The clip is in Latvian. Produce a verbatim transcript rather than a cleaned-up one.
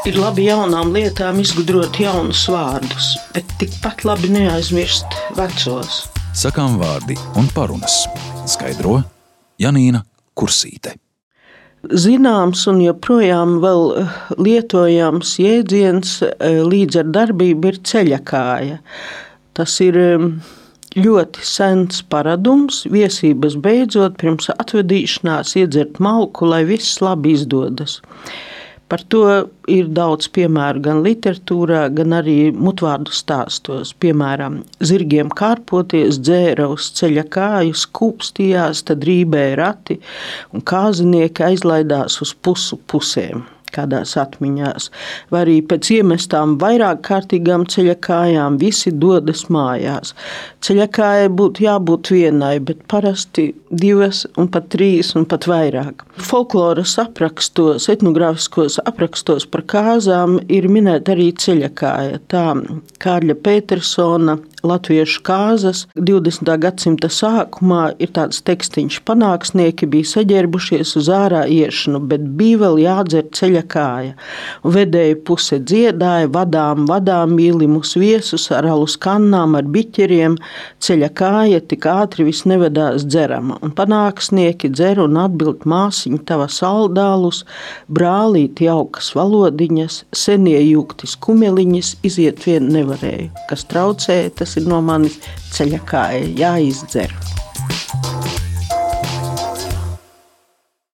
Ir labi jaunām lietām izgudrot jaunus vārdus, bet tikpat labi neaizmirst vecos. Sakām vārdi un parunas. Skaidro Janīna Kursīte. Zināms un joprojām vēl lietojams jēdziens līdz ar darbību ir ceļakāja. Tas ir ļoti sens paradums, viesības beidzot pirms atvedīšanās iedzert malku, lai viss labi izdodas. Par to ir daudz piemēru gan literatūrā, gan arī mutvārdu stāstos. Piemēram, zirgiem kārpoties dzēra uz ceļa kāju, skūpstījās, tad rībēja rati un kāzinieki aizlaidās uz pusu pusēm. Kādās atmiņās, vai arī pēc iemestām vairāk kārtīgām ceļakājām visi dodas mājās. Ceļakājai būtu jābūt vienai, bet parasti divas un pat trīs un pat vairāk. Folkloras aprakstos, etnogrāfiskos aprakstos par kāzām ir minēta arī ceļakāja. Tā Kārļa Petersona latviešu kāzas divdesmitā gadsimta sākumā ir tāds tekstiņš: panāksnieki bija saģērbušies uz ārā iešanu, bet bija vēl jādzer ceļa kāja. Vedēja puse dziedāja, vadām, vadām mīlimus viesus ar alus kannām, ar biķeriem. Ceļa kāja tik ātri vis nevedās dzerama. Un panāksnieki dzer un atbild: māsiņa tava saldālus, brālīti jaukas valodiņas, senie jūgtis kumeliņas, iziet vien nevarēju. Kas traucēja, tas ir no manis ceļa kāja jāizdzer.